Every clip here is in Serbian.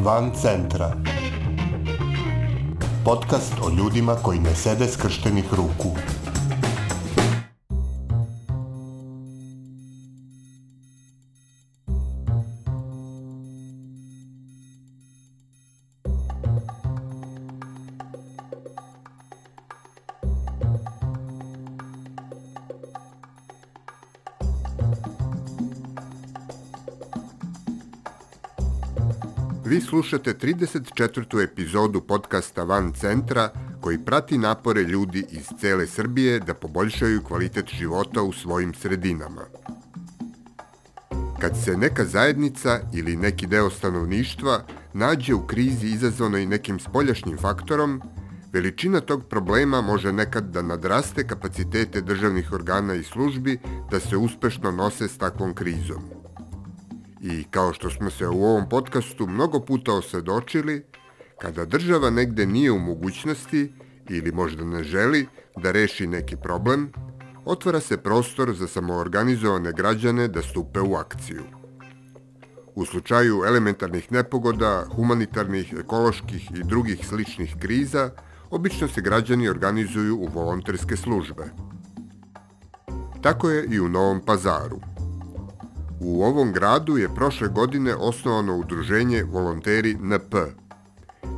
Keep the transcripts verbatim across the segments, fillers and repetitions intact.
Van centra. Podcast o ljudima koji ne sede skrštenih ruku. Vi slušate trideset četvrtu epizodu podcasta Van centra koji prati napore ljudi iz cele Srbije da poboljšaju kvalitet života u svojim sredinama. Kad se neka zajednica ili neki deo stanovništva nađe u krizi izazvanoj nekim spoljašnjim faktorom, veličina tog problema može nekad da nadraste kapacitete državnih organa i službi da se uspešno nose s takvom krizom. I kao što smo se u ovom podcastu mnogo puta osvedočili, kada država negde nije u mogućnosti ili možda ne želi da reši neki problem, otvara se prostor za samoorganizovane građane da stupe u akciju. U slučaju elementarnih nepogoda, humanitarnih, ekoloških i drugih sličnih kriza, obično se građani organizuju u volonterske službe. Tako je i u Novom Pazaru. U ovom gradu je prošle godine osnovano udruženje Volonteri N P.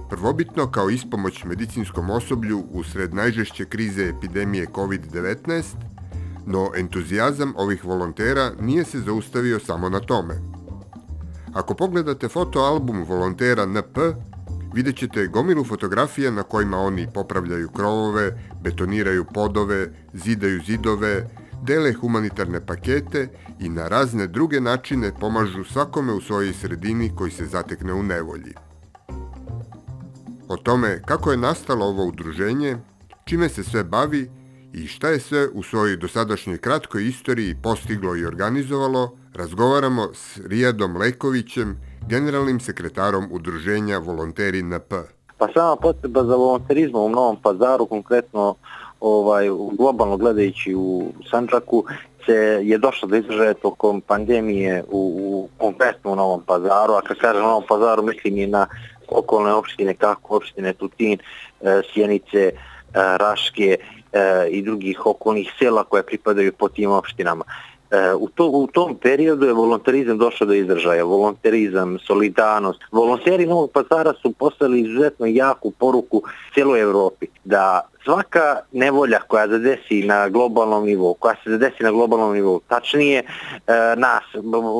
Prvobitno kao ispomoć medicinskom osoblju usred najžešće krize epidemije kovid devetnaest, no entuzijazam ovih volontera nije se zaustavio samo na tome. Ako pogledate fotoalbum Volontera N P, vidjet ćete gomilu fotografija na kojima oni popravljaju krovove, betoniraju podove, zidaju zidove, dele humanitarne pakete i na razne druge načine pomažu svakome u svojoj sredini koji se zatekne u nevolji. O tome kako je nastalo ovo udruženje, čime se sve bavi i šta je sve u svojoj dosadašnjoj kratkoj istoriji postiglo i organizovalo, razgovaramo s Rijadom Lekovićem, generalnim sekretarom udruženja Volonteri N P. Pa sama potreba za volonterizmom u Novom Pazaru, konkretno ovaj, globalno gledajući u Sandžaku, se je došlo do izražaja tokom pandemije u, u konkretno u Novom Pazaru, a kad kažem Novom Pazaru mislim i na okolne opštine kako opštine Tutin, e, Sjenice, e, Raške e, i drugih okolnih sela koje pripadaju po tim opštinama. U, to, u tom periodu je volonterizam došao do izražaja. Volonterizam, solidarnost. Volonteri Novog Pazara su poslali izuzetno jaku poruku cijeloj Evropi da svaka nevolja koja se desi na globalnom nivou, koja se desi na globalnom nivou, tačnije nas,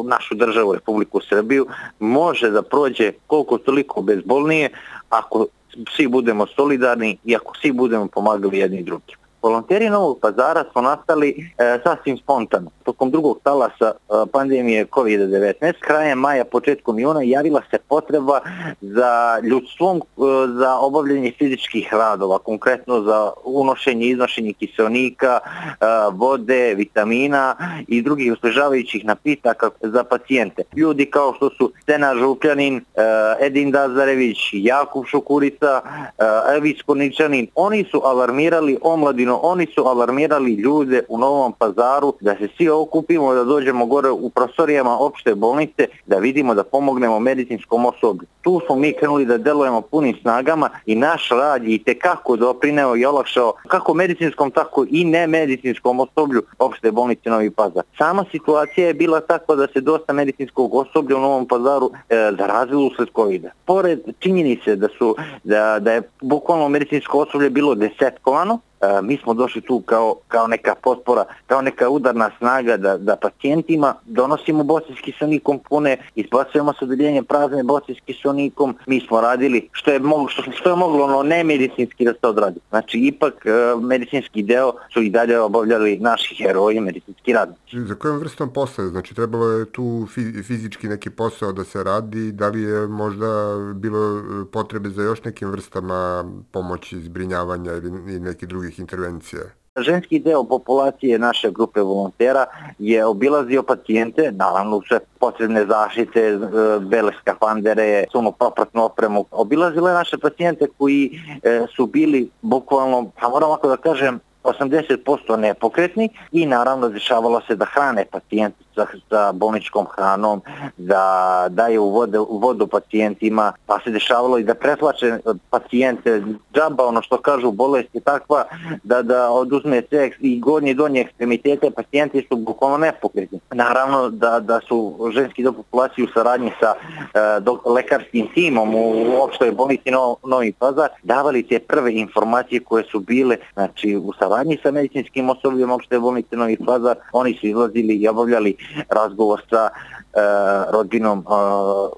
našu državu, Republiku Srbiju, može da prođe koliko toliko bezbolnije ako svi budemo solidarni i ako svi budemo pomagali jedni drugim. Volonteri Novog Pazara su nastali e, sasvim spontano. Tokom drugog talasa e, pandemije kovid devetnaest, krajem maja, početkom juna, javila se potreba za ljudstvom, e, za obavljanje fizičkih radova, konkretno za unošenje i iznošenje kiseonika, e, vode, vitamina i drugih osvežavajućih napitaka za pacijente. Ljudi kao što su Stena Žukljanin, e, Edin Dazarević, Jakub Šukurica, e, Evis Korničanin, oni su alarmirali omladinu, oni su alarmirali ljude u Novom Pazaru da se svi okupimo, da dođemo gore u prostorijama opšte bolnice, da vidimo da pomognemo medicinskom osoblju. Tu smo mi krenuli da delujemo punim snagama i naš rad je itekako doprineo i olakšao kako medicinskom, tako i nemedicinskom osoblju opšte bolnice Novi Pazar. Sama situacija je bila takva da se dosta medicinskog osoblja u Novom Pazaru e, zarazilo usled covida. Pored činjenice da, su, da, da je bukvalno medicinsko osoblje bilo desetkovano, E, mi smo došli tu kao, kao neka potpora, kao neka udarna snaga da, da pacijentima donosimo boce s kiselnikom pune, izbacujemo s odeljenja prazne boce s kiselnikom. Mi smo radili što je moglo, što, što je moglo ono nemedicinski da se odradi. Znači ipak e, medicinski deo su i dalje obavljali naši heroji, medicinski radnici. Za kojom vrstom posla? Znači trebalo je tu fizički neki posao da se radi, da li je možda bilo potrebe za još nekim vrstama pomoći, zbrinjavanja ili neki drugi intervencija? Ženski deo populacije naše grupe volontera je obilazio pacijente, naravno sve potrebne zaštite, bele skafandere, sunu propratnu opremu. Obilazile naše pacijente koji su bili bukvalno, pa moram ovako da kažem, osamdeset posto nepokretni i naravno dešavalo se da hrane pacijenti sa, sa bolničkom hranom, da daje u vodu, vodu pacijentima, pa se dešavalo i da pretlače pacijente džaba, ono što kažu, bolest je takva da, da oduzme sve i gornje i donje ekstremitete, pacijenti su bukvalno nepokretni. Naravno da, da su ženski do populacije u saradnji sa e, do, lekarskim timom u opštoj bolnici no, Novi Pazar davali te prve informacije koje su bile, znači u saradnji sa medicinskim osobljem opšte bolnice Novi Pazar, oni su izlazili i obavljali razgovor sa e, rodinom e,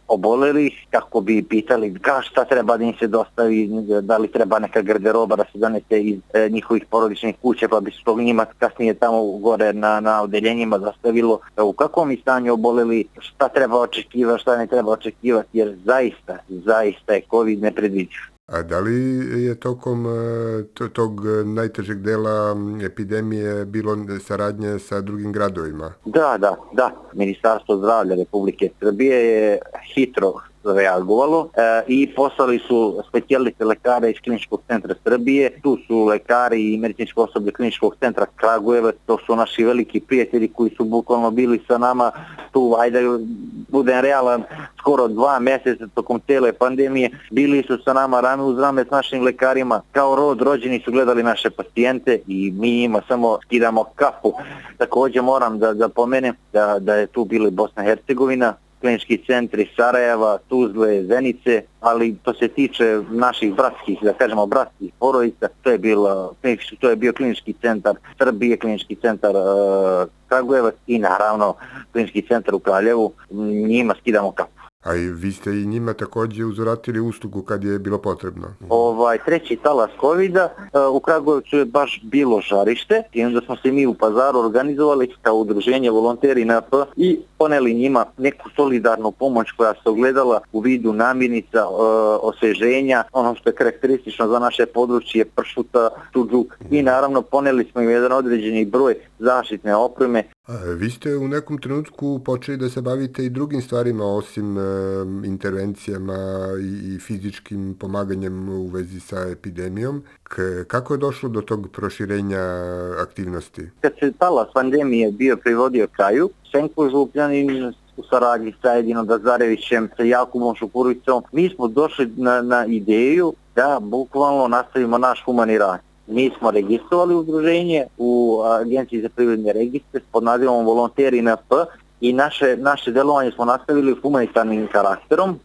obolelih, kako bi pitali ka šta treba da im se dostavi, da li treba neka garderoba da se donese iz e, njihovih porodičnih kuća, pa bi se to njima kasnije tamo gore na, na odeljenjima dostavilo u kakvom je stanju oboleli, šta treba očekivati, šta ne treba očekivati, jer zaista, zaista je COVID nepredvidiv. A da li je tokom tog najtežeg dela epidemije bilo saradnje sa drugim gradovima? Da, da, da. Ministarstvo zdravlja Republike Srbije je hitro reagovalo e, i poslali su specijaliste lekare iz Kliničkog centra Srbije. Tu su lekari i medicinsko osoblje Kliničkog centra Kragujevac, to su naši veliki prijatelji koji su bukvalno bili sa nama tu, ajde budem realan, skoro dva mjeseca tokom cijele pandemije, bili su sa nama rame uz rame s našim lekarima, kao rod rođeni su gledali naše pacijente i mi njima samo skidamo kapu. Također moram da, da pomenem da, da je tu bila Bosna i Hercegovina, klinički centri Sarajeva, Tuzle, Zenice, ali to se tiče naših bratskih, da kažemo bratskih porodica, to je, bilo, to je bio klinički centar Srbije, klinički centar uh, Kragujevac i naravno klinički centar u Kraljevu, njima skidamo kapu. A i vi ste i njima također uzvratili uslugu kad je bilo potrebno. Ovaj treći talas kovida u Kragujevcu je baš bilo žarište i onda smo se mi u Pazaru organizovali kao udruženje volonteri N P i poneli njima neku solidarnu pomoć koja se ogledala u vidu namirnica, osveženja, ono što je karakteristično za naše područje, pršuta, suđuk i naravno poneli smo im jedan određeni broj zaštitne opreme. A vi ste u nekom trenutku počeli da se bavite i drugim stvarima osim e, intervencijama i, i fizičkim pomaganjem u vezi sa epidemijom. K, kako je došlo do tog proširenja aktivnosti? Kad se talas pandemije bio privodio kraju, Senko Župljanin u saradnji sa Edinom Dazarevićem, sa Jakubom Šukuricom, mi smo došli na, na ideju da bukvalno nastavimo naš humani rad. Mi smo registrovali udruženje u Agenciji za privredne registre pod nazivom Volonteri N P i naše, naše delovanje smo nastavili humanitarnim karakterom, uh,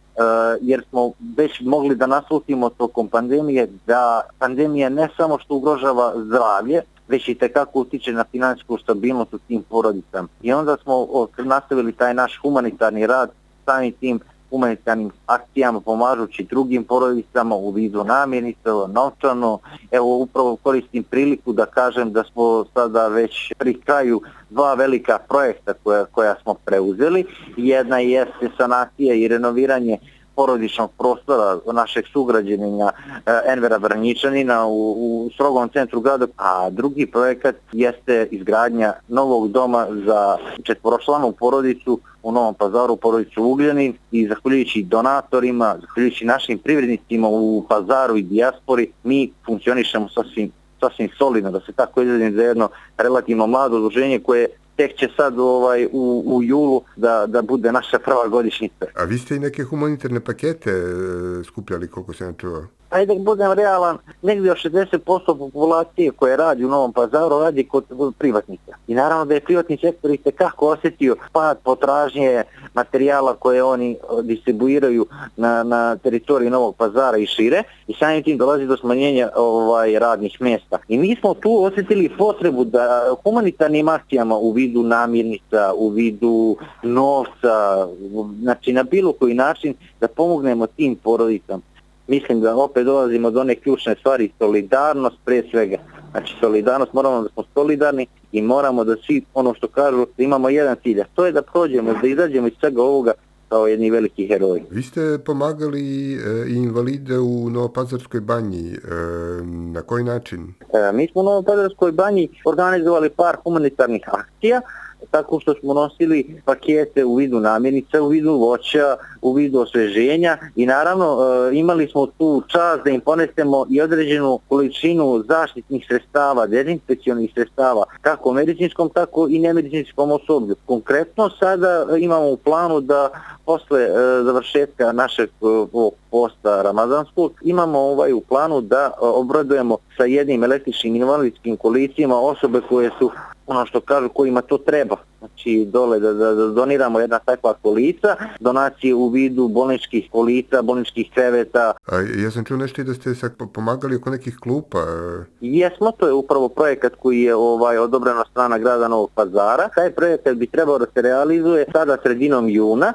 jer smo već mogli da naslutimo tokom pandemije da pandemija ne samo što ugrožava zdravlje, već i tekako utiče na finansijsku stabilnost u tim porodicama. I onda smo nastavili taj naš humanitarni rad samim tim humanitarnim akcijama, pomažući drugim porodicama u vidu namirnica, novčano. Evo, upravo koristim priliku da kažem da smo sada već pri kraju dva velika projekta koja, koja smo preuzeli. Jedna jeste sanacija i renoviranje porodičnog prostora našeg sugrađanina Envera Vranjičanina u, u strogom centru grada, a drugi projekat jeste izgradnja novog doma za četvoročlanu porodicu u Novom Pazaru, porodicu Ugljanin, i zahvaljujući donatorima, zahvaljujući našim privrednicima u Pazaru i dijaspori, mi funkcionišemo sasvim, sasvim solidno, da se tako izrazim, za jedno relativno mlado udruženje koje tek će sad ovaj, u, u julu da, da bude naša prva godišnjica. A vi ste i neke humanitarne pakete e, skupljali, koliko se ne čuo? Ajde da budem realan, negdje od šezdeset posto populacije koje radi u Novom Pazaru radi kod privatnika. I naravno da je privatni sektor itekako osjetio pad potražnje materijala koje oni distribuiraju na, na teritoriji Novog Pazara i šire, i samim tim dolazi do smanjenja ovaj, radnih mjesta. I mi smo tu osjetili potrebu da humanitarnim akcijama u vidu namirnica, u vidu novca, znači na bilo koji način da pomognemo tim porodicama. Mislim da opet dolazimo do one ključne stvari, solidarnost pre svega. Znači solidarnost, moramo da smo solidarni i moramo da svi, ono što kažu, da imamo jedan cilj, a to je da prođemo, da izađemo iz svega ovoga kao jedni veliki heroji. Vi ste pomagali i invalide u Novopazarskoj banji. Na koji način? Mi smo u Novopazarskoj banji organizovali par humanitarnih akcija tako što smo nosili pakete u vidu namirnica, u vidu voća, u vidu osveženja i naravno imali smo tu čast da im ponesemo i određenu količinu zaštitnih sredstava, dezinfekcionih sredstava, kako medicinskom, tako i nemedicinskom osoblju. Konkretno sada imamo u planu da posle završetka našeg posta ramazanskog imamo ovaj u planu da obradujemo sa jednim električnim invalidskim kolicima osobe koje su, ono što kažu, kojima to treba. Znači dole da, da, da doniramo jedna takva kolica, donacije u vidu bolničkih kolica, bolničkih kreveta. A ja sam čuo nešto i da ste sad pomagali oko nekih klupa. Jesmo, to je upravo projekat koji je ovaj odobren od strana grada Novog Pazara. Taj projekat bi trebao da se realizuje sada sredinom juna.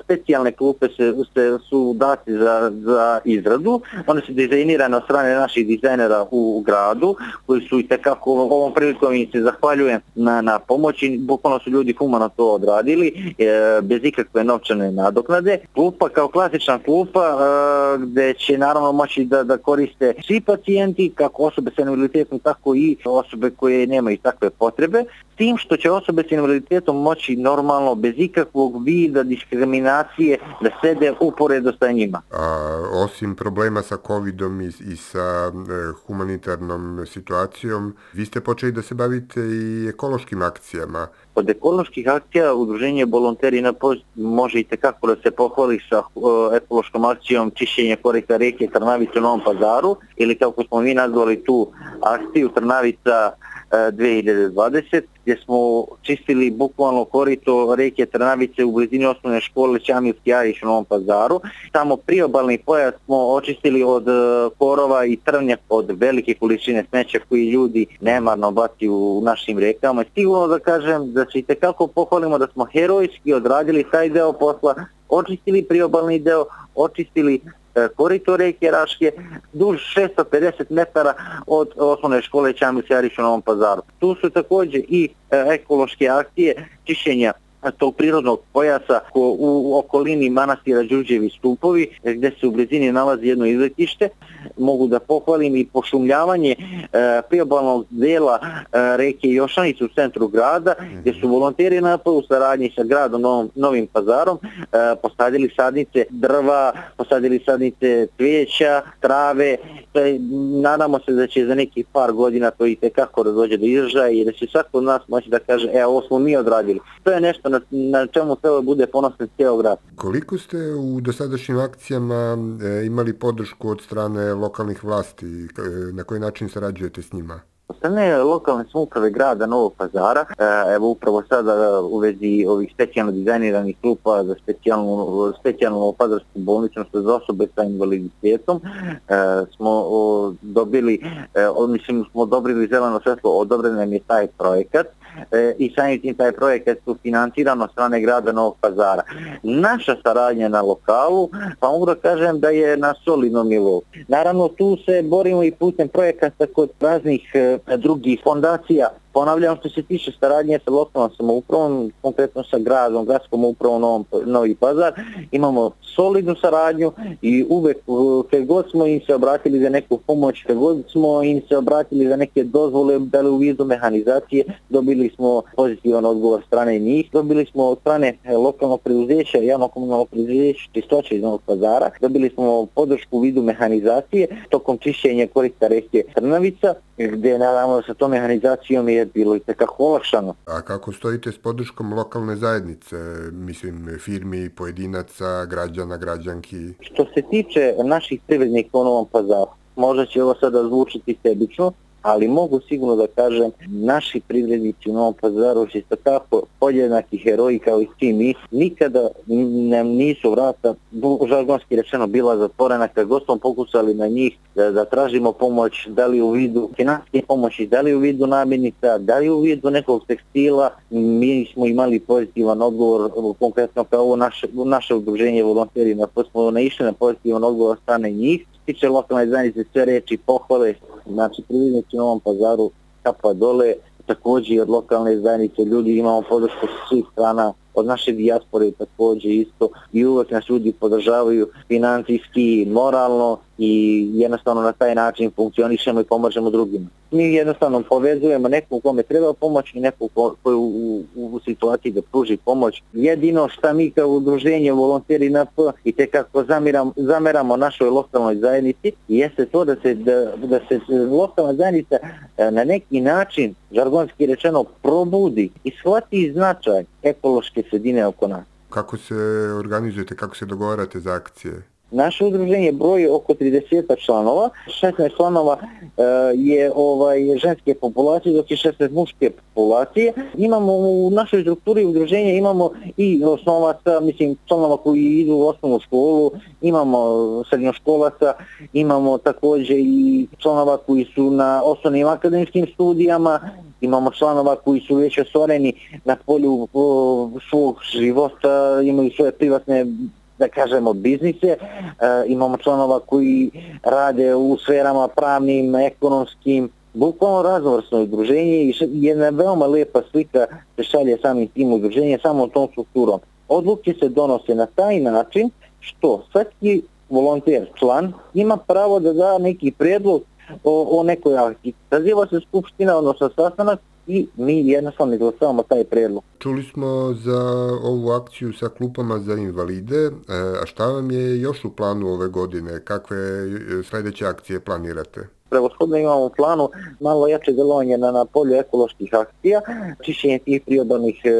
Specijalne klupe se, se su dati za, za izradu. One su dizajnirane od strane naših dizajnera u, u gradu, koji su i tekako ovom prilikom im se zahvaljujem na, na pomoći. Bukvalno su ljudi humano to odradili, e, bez ikakve novčane nadoknade. Klupa kao klasična klupa e, gde će naravno moći da, da koriste svi pacijenti, kako osobe sa invaliditetom, tako i osobe koje nemaju takve potrebe. Tim što će osobe sa invaliditetom moći normalno, bez ikakvog vida diskriminacije, da sede uporedo sa njima. A osim problema sa covidom i, i sa e, humanitarnom situacijom, vi ste počeli da se bavite i ekološkim akcijama. Od ekoloških akcija Udruženje Volonteri na Post može i tekako da se pohvali sa uh, ekološkom akcijom čišćenja korita reke Trnavica u Novom Pazaru, ili kako smo mi nazvali tu akciju Trnavica uh, dve hiljade dvadeset, gdje smo čistili bukvalno korito reke Trnavice u blizini osnovne škole Ćamilski Ariš u Novom Pazaru. Tamo priobalni pojas smo očistili od uh, korova i trvnjak, od velike količine smeća koji ljudi nemarno baci u našim rekama. Sigurno da kažem da se i tekako pohvalimo da smo herojski odradili taj deo posla, očistili priobalni deo, očistili e, korito reke Raške duž šesto pedeset metara od osnovne škole Ćamilski Ariš u Novom Pazaru. Tu su također i e, ekološke akcije čišćenja tog prirodnog pojasa u okolini manastira Đurđevi stupovi, gdje se u blizini nalazi jedno izletište. Mogu da pohvalim i pošumljavanje e, priobalnog dela e, reke Jošanice u centru grada, gdje su volonteri na u saradnji sa gradom Novom, Novim Pazarom e, posadili sadnice drva, posadili sadnice cvijeća, trave. E, nadamo se da će za nekih par godina to i tekako da dođe do izražaja i da će svako od nas moći da kaže, e, ovo smo mi odradili. To je nešto na, na čemu treba bude ponosan cijel grad. Koliko ste u dosadašnjim akcijama e, imali podršku od strane lokalnih vlasti? E, na koji način sarađujete s njima? Od strane lokalne samouprave grada Novog Pazara, e, evo upravo sada u vezi ovih specijalno dizajniranih klupa za specijalnu, specijalnu pazarsku bolnicu za osobe sa invaliditetom, e, smo o, dobili, e, mislim smo odobrili zeleno svjetlo, odobren nam je taj projekat. E, i samim tim taj projekat su financiran od strane grada Novog Pazara. Naša saradnja na lokalu, pa mogu da kažem da je na solidnom nivou. Naravno tu se borimo i putem projekata kod raznih e, drugih fondacija. Ponavljam, što se tiče saradnje sa lokalnom samoupravom, konkretno sa gradom, gradskom upravom Novom, Novi Pazar, imamo solidnu saradnju i uvek kad god smo im se obratili za neku pomoć, kad god smo im se obratili za neke dozvole, da li u vidu mehanizacije, dobili smo pozitivan odgovor strane njih, dobili smo od strane lokalnog preduzeća, javno komunalnog preduzeća Čistoće iz Novog Pazara, dobili smo podršku u vidu mehanizacije tokom čišćenja korita reke Trnavica, gdje naravno sa tom mehanizacijom je bilo i tekako olakšano. A kako stojite s podrškom lokalne zajednice, mislim firmi, pojedinaca, građana, građanki? Što se tiče naših privrednika u Novom Pazaru, možda će ovo sada zvučiti sebično, ali mogu sigurno da kažem, naši privrednici u Novom Pazaru će tako podjednaki heroji kao i svi mi, nikada nam nisu vrata, žargonski rečeno, bila zatvorena, kad god smo pokusali na njih da, da tražimo pomoć, da li u vidu finansijske pomoći, da li u vidu namirnica, da li u vidu nekog tekstila, mi smo imali pozitivan odgovor, konkretno kao ovo naše, naše udruženje Volonteri na Post smo naišli na pozitivan odgovor strane njih. Tiče lokalne zajednice, sve reči pohvale, znači privrednici u Novom Pazaru kapa dole, također od lokalne zajednice ljudi imamo podršku sa svih strana, od naše dijaspore također isto i uvek nas ljudi podržavaju financijski, moralno i jednostavno na taj način funkcionišemo i pomažemo drugima. Mi jednostavno povezujemo nekog kome treba pomoć i nekog koji u, u, u situaciji da pruži pomoć. Jedino šta mi kao udruženje Volonteri N P i tekako zamiramo, zameramo našoj lokalnoj zajednici jeste to da se, da, da se lokalna zajednica na neki način, žargonski rečeno, probudi i shvati značaj ekološke sredine oko nas. Kako se organizujete, kako se dogovarate za akcije? Naše udruženje broji oko trideset članova, šesnaest članova e, je ovaj ženske populacije, dok je šesnaest muške populacije. Imamo u našoj strukturi udruženja imamo i osnovaca, mislim članova koji idu u osnovnu školu, imamo srednjoškolaca, imamo također i članova koji su na osnovnim akademskim studijama, imamo članova koji su već ostvareni na polju o, svog života, imaju svoje privatne, da kažemo, biznise, e, imamo članova koji rade u sferama pravnim, ekonomskim, bukvalno raznovrsno udruženje i jedna veoma lepa slika se šalje samim tim udruženjem, samo tom strukturom. Odluke se donose na taj način što svaki volonter, član, ima pravo da da neki prijedlog o, o nekoj akciji. Saziva se skupština, odnosno sastanak, i mi jednostavno izglasavamo taj prijedlog. Čuli smo za ovu akciju sa klupama za invalide, a šta vam je još u planu ove godine? Kakve sljedeće akcije planirate? Prevashodno imamo u planu malo jače delovanje na, na polju ekoloških akcija, čišćenje tih priobalnih e,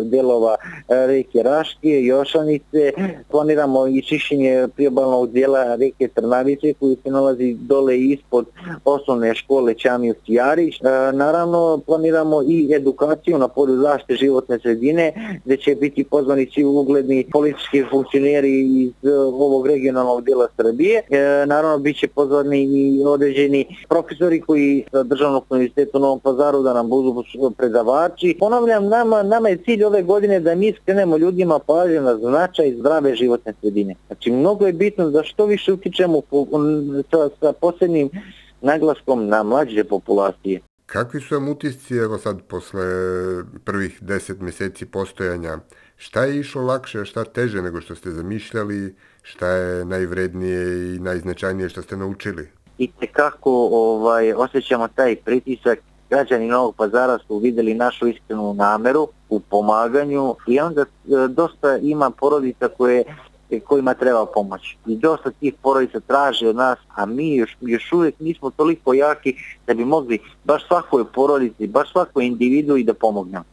delova e, reke Raške, Jošanice, planiramo i čišćenje priobalnog dijela reke Trnavice koji se nalazi dole ispod osnovne škole Ćamil Stijarić. E, naravno planiramo i edukaciju na polju zaštite životne sredine gdje će biti pozvani svi ugledni politički funkcioneri iz e, ovog regionalnog dijela Srbije. E, naravno bit će pozvani i određeni profesori koji sa Državnog univerziteta u Novom Pazaru da nam budu predavači. Ponavljam, nama, nama je cilj ove godine da mi skrenemo ljudima pažnju na značaj zdrave životne sredine. Znači, mnogo je bitno da što više utičemo sa, sa posebnim naglaskom na mlađe populacije. Kakvi su vam utisci, evo sad, posle prvih deset mjeseci postojanja? Šta je išlo lakše, a šta teže nego što ste zamišljali? Šta je najvrednije i najznačajnije što ste naučili? I tekako ovaj, osjećamo taj pritisak. Građani Novog Pazara su vidjeli našu iskrenu nameru u pomaganju i onda e, dosta ima porodica koje, kojima treba pomoć. I dosta tih porodica traži od nas, a mi još, još uvijek nismo toliko jaki da bi mogli baš svakoj porodici, baš svakoj individu i da pomognemo.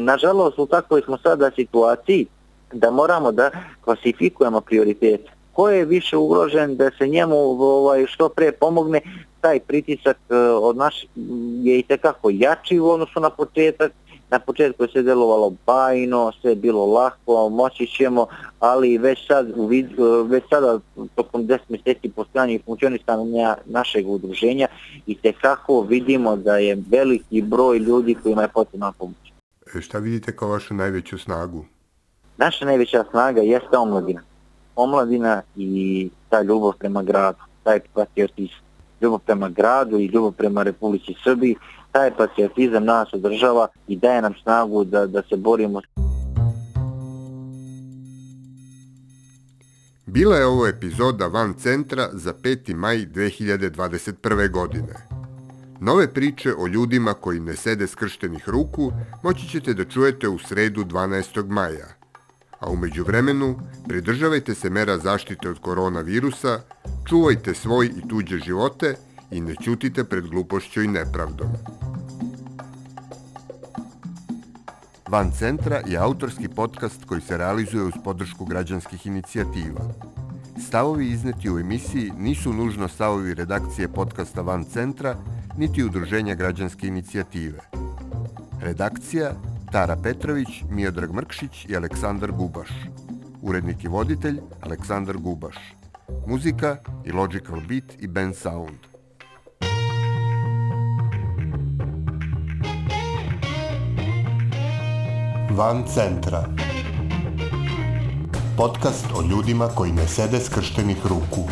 Nažalost, u takvoj smo sada situaciji da moramo da klasifikujemo prioritete. Ko je više ugrožen da se njemu ovaj, što pre pomogne, taj pritisak od nas je i tekako jači u odnosu na početak. Na početku je sve delovalo bajno, sve je bilo lako, moći ćemo, ali već, sad, već sada tokom deset mjeseci postojanja i funkcionisanja našeg udruženja i tekako vidimo da je veliki broj ljudi kojima je potrebna pomoć. E, šta vidite kao vašu najveću snagu? Naša najveća snaga jeste omladina. Omladina i ta ljubav prema gradu, taj patriotizam, ljubav prema gradu i ljubav prema Republici Srbiji, taj patriotizam nas održava i daje nam snagu da, da se borimo. Bila je ovo epizoda Van Centra za peti maj dve hiljade dvadeset prve. godine. Nove priče o ljudima koji ne sede skrštenih ruku moći ćete da čujete u sredu dvanaestog maja. A u međuvremenu, pridržavajte se mera zaštite od koronavirusa, čuvajte svoj i tuđe živote i ne ćutite pred glupošću i nepravdom. Van Centra je autorski podcast koji se realizuje uz podršku građanskih inicijativa. Stavovi izneti u emisiji nisu nužno stavovi redakcije podcasta Van Centra, niti udruženja građanske inicijative. Redakcija Tara Petrović, Miodrag Mrkšić i Aleksandar Gubaš. Urednik i voditelj Aleksandar Gubaš. Muzika i Logical Beat i Band Sound. Van Centra. Podcast o ljudima koji ne sede skrštenih ruku.